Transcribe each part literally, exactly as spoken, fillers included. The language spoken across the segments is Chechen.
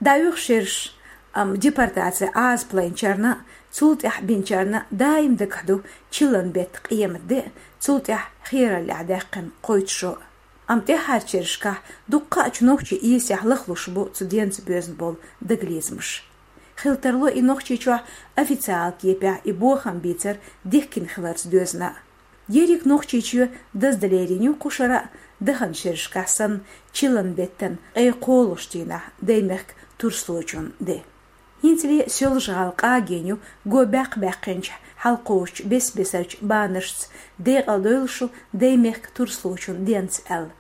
ДӀаоьху шераш, амма депортаци Ӏазап лайначарна, цул тӀаьхьа бинчарна даим дагахь ду чиллан бетта къематде, цул тӀаьхьа хераллехь даьккхина кхойтта шо. Амма тӀаьххьарчу шерашкахь дуккха а чу нохчий иэсехь лахлуш бу цу денца боьзна болу дагалецамаш. Хила тарло и Нохчийчохь официал кепехь и бохам бийцар дихкина хиларца доьзна. Ерриг Нохчийчоь даздалийна ю кху шарахь, даханчу шерашкахь санна, чиллан беттан ткъе кхоалгӀачу дийнахь Даймехкан турслочун де. ХӀинцале Соьлжа-ГӀала къагийна ю го баьккха баьккхинчу хьалкхочучу бес-бесарчу банашца, декъала дойлуш шу Даймехкан турслочун денца аьлла.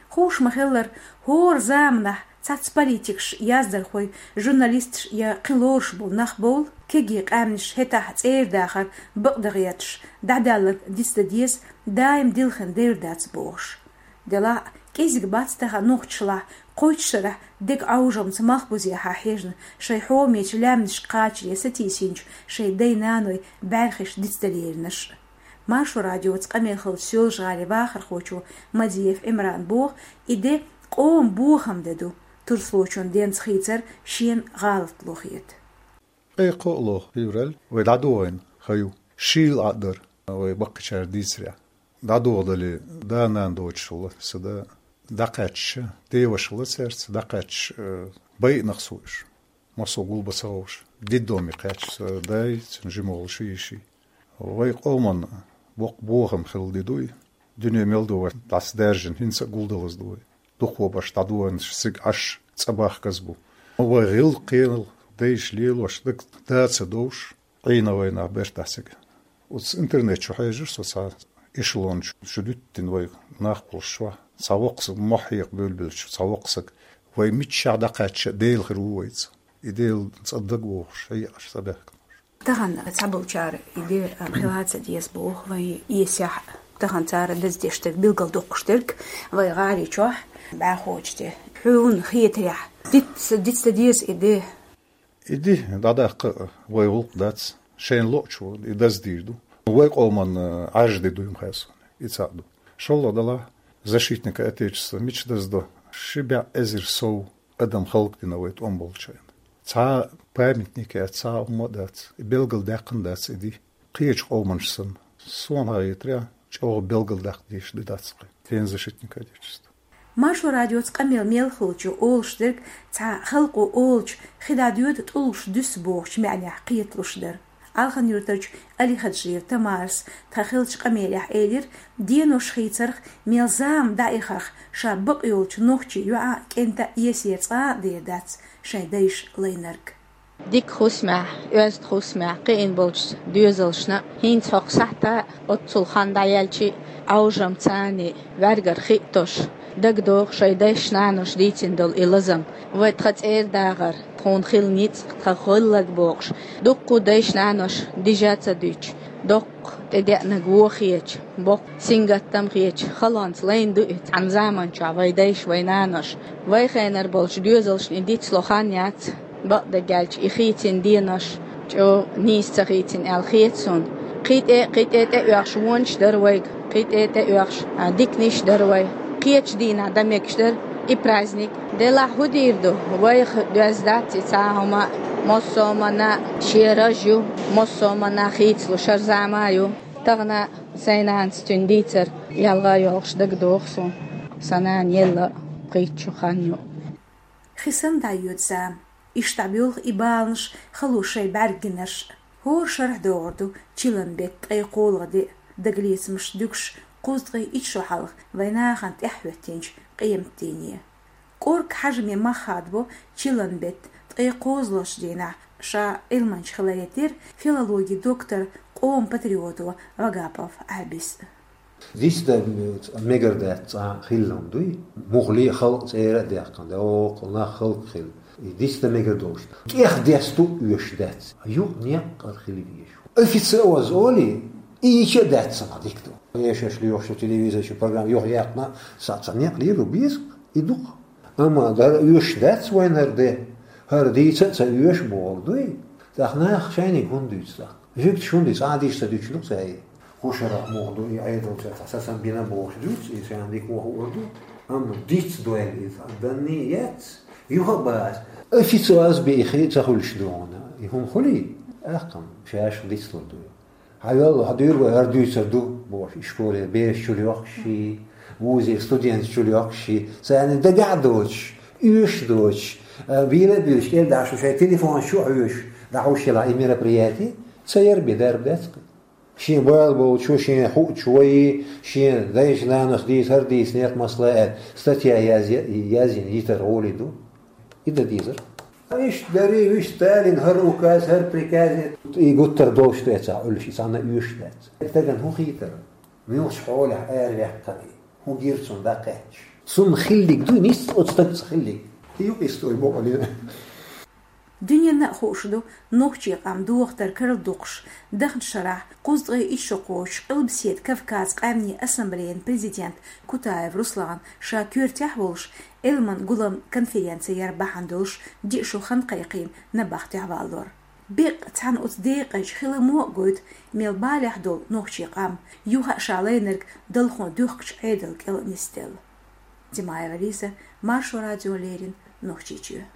Хууш ма-хиллара, хӀора заманахь цхьацца политикаш, яздархой, журналисташ я кхин лоруш болу нах бовла, кегий къаьмнаш хӀетахь цӀера дахар бакъдан гӀерташ, дӀадаьлларг дицдан деза, даим дилхина девр дац бохуш. Делахь а, кӀезиг бац тахана нохчашлахь, кхойтта шарахь дегӀан Ӏовжамца малхбузехьа хьежна, шайн хьомечу лаьмнашка кхачаре сатийсинчу шайн дай-наной бӀаьрхиш дицдалийринарш. Маршо радиоца къамел хиллачу Соьлжа-ГӀалин вахархочо Мадиев Ӏимрана боху, и де къоман бохам де ду, турслочун денца хийцар шена гӀалатло хета. Ткъе кхоалгӀа февраль вай дӀадохийна хан ю, шийла Ӏа дара вай баккхийчара дийцарехь. ДӀадохадале, да-нана доцуш волу сан да дӀакхаьчча, деваша волу цаьрца дӀакхаьчча, э, байинарш бу уьш. Массо а гулбан ца хууш, детдоме кхаьчча, сан дай, цуьнан жима волу ши йиши. Вай къоман боккха бохам хилла де ду и. Дуьне мел ду вай дӀасадаьржина, хӀинца а гулдалаза ду вай. Дукхо баш дӀадоьхнарш цига Ӏаш цӀа бахказа бу. Вай гӀиллакх-кхел, дайша лелош, дага да ца довш, Ӏийна вайна бертахь цига. Оцу интернет чу хьежира со цхьа эшелон чу, чу дуьттина вай нах болуш чохь. Цхьа воккха саг, мохь хьекха буьйлабелча, цхьа воккха саг: «Вай миччахь дӀакхаьчча а, Дела хир ву вайца». И Делан цӀа дага вогӀуш, хьекъаш цӀа баьхкина. Тахана цхьаболчара и де, а, хила ца деза боху вайн иэсехь. Тахана цара даздеш дерг, билгалдоккхуш дерг вайн гӀали чохь бӀаьхочу де. Хьуна хетарехь, диц, диц дан деза и де. И де дӀадаккха вай гӀуллакх дац, шайна лоъучо и даздийр ду. Вай къоман, а, Ӏаьржа де ду и, ма хаьа суна, и цхьаъ ду. ШолгӀа делахь, защитника Отечества мича даздо? Ши бӀе эзар сов адам халкъ дина вай тӀом болчу хенахь. Цхьа памятник яц, цхьа хӀума а дац, и билгалдаьккхина дац и де. Кхечу къоманаш санна, суна хетарехь, чӀогӀа билгалдаккха дезаш де дац кхин, День защитника Отечества. Маршо радиоца къамел мел хиллачо олуш дерг цхьа халкъо олучу хи дӀадоьду, тӀулгаш дуьсу бохучу маьӀнехь кхеталуш дара. Алхан-Юртарчу Алихаджиева Тамарас тхан хиллачу къамелехь элира, денош хийцарх, мел зама дӀаихарх ша бакъйолчу нохчийн йоӀа, кӀента а, иэсера цкъа а дер дац шайн дайша лайнарг. Дика хӀусамехь, оьзда хӀусамехь кхиъна болчу доьзалшна а, хӀинца хӀокху сахьта оццул хан дӀаяьлча а, Ӏовжам царний ваьргара хиътош, дагадогӀу шайн дайша-наноша дийцина долу и лазам. Вай тхан цӀера дахар, тхуна хила ницкъ, тхан хилларг бохуш, дуккха а дайша-наноша дижа ца дуьтуш, доккха тӀедеанарг вон хеташ, боккха сингаттам хеташ, халонца лайна ду и цхьана заманчохь вайн дайша, вайн наноша. Вай хенара болчу доьзалшна и дицло хан яц. Бакъдерг аьлча, и хийцина денош чӀогӀа нийса ца хийцина аьлла хета суна. Кхин тӀе, кхин тӀе тӀеоьхуш вонаш дара вайга, кхин тӀе тӀеоьхуш, а, диканиш дара вай. Кхечу дийнахь дан мегаш дара и праздник. Делахь хӀун дийр ду? Вайх доьзна дац и цхьа а хӀума, массо а хӀуманна шен раж ю, массо а хӀуманна хийцалуш хӀара зама а ю. Тахана сайн нанас цуьнан дийцар ялха а йолуш дагадогӀу суна. Сан нана елла пхийтта шо хан ю. Хи санна дӀайоьду зама. Иштта дӀабоьлху и баланаш, хало шайн бӀаьрг гинарш. ХӀора шарахь догӀур ду чиллан беттан ткъе кхоалгӀа де, дагалецамаш дуьгуш кхузткъе итт шо хьалха вайн нахана тӀаьхьахӀоьттинчу къематдийне. КӀорга Хьажаме мах хадабо чиллан беттан ткъе кхоалгӀачу дийнахь, ша Ӏилманча хиларе терра, филологин доктор, къоман патриото Вагапов Ӏабис. Дицдан мегар дац цкъа хилла хӀума дуй? Муххале а халкъ цӀера а даьккхина, доккха нах халкъ хилла. И дицдан мегар долуш. ТӀех десту оьшуш дац. Юкъ некъ кӀара хила везаш ву. Официоза олий, и йича а дац цхьа дика ду. Эшаш лоьхуш телевизор чу программа юха яьккхина, са цхьа некъ лийр ву беза, и дукха. Амма дара оьшуш дац вайн хӀара де. ХӀара дийца а ца оьшу бохург дуй? ТӀаккха наха шайниг хӀунда дуьйцу тӀаккха? Жуьгташ хӀунда дуьйцу? Цкъа а дийша ца дуьтуш ду-кх цара и? Кху шарахь муха ду и Ӏедал, цара цхьа сацам бина бохуш дуьйцу, и шайна дика вон хуур ду. Амма диц дойла иза, данне а яц, Юха а бац. Официоз бе и хи ца хуьлуш дугӀуна. И хӀума хуьлий? Ахкам, шаьш дицлур ду. Хьан йолла, хьан дуьйр вай хӀара дуьйцар ду, бохуш, и школе бераш чул йоккхуш ший, вузера студенташ чул йоккхуш ший, царна дагахь а доцуш, оьшуш а доцуш, а, вийла а буьйлуш, кӀел дахьаш шайн телефонаш чу а хьоьжуш, дӀахьуш хилахь и мероприяти, ца яр бен дарба дац-кх. Шен бала болчо, шен хуучо вай, шен дайша-нанас дийцар дийцинехь, масала аьлла, статья яз-, язйина йитар гӀоле ду. И дан дезар. Иштта дарий, вуьш Сталин хӀара указ, хӀара приказ, и гуттар долуш ду эцахь Ӏуьллуш, и цхьанна оьшуш дац. Стагана хӀун хийтар? Муьлхачу хьолехь араваьккхина и? ХӀун гира цунна дӀакхаьчча? Цунна хиллиг ду, нийса оцу стагца хиллиг. И ю истори бокъалина. Дуьненна а хууш ду, нохчийн къам дохатар карладоккхуш, дахначу шарахь кхузткъе итт шо кхочуш Къилбаседа Кавказан къаьмнийн ассамблеян президент Кутаев Руслан ша коьртехь а волуш, Ӏилман гулам конференци яр бахьана долуш диъ шо хан кхайкхийна набахтехь валлалц. Беккъа цхьана оцу декъачу хиламо а гойту, мел балехь долу нохчийн къам, юха а ша лайнарг далхо дуьхкучу Ӏедал кӀел а нисделла. Димаева Лиза, Маршо радиона леррина, Нохчийчоь.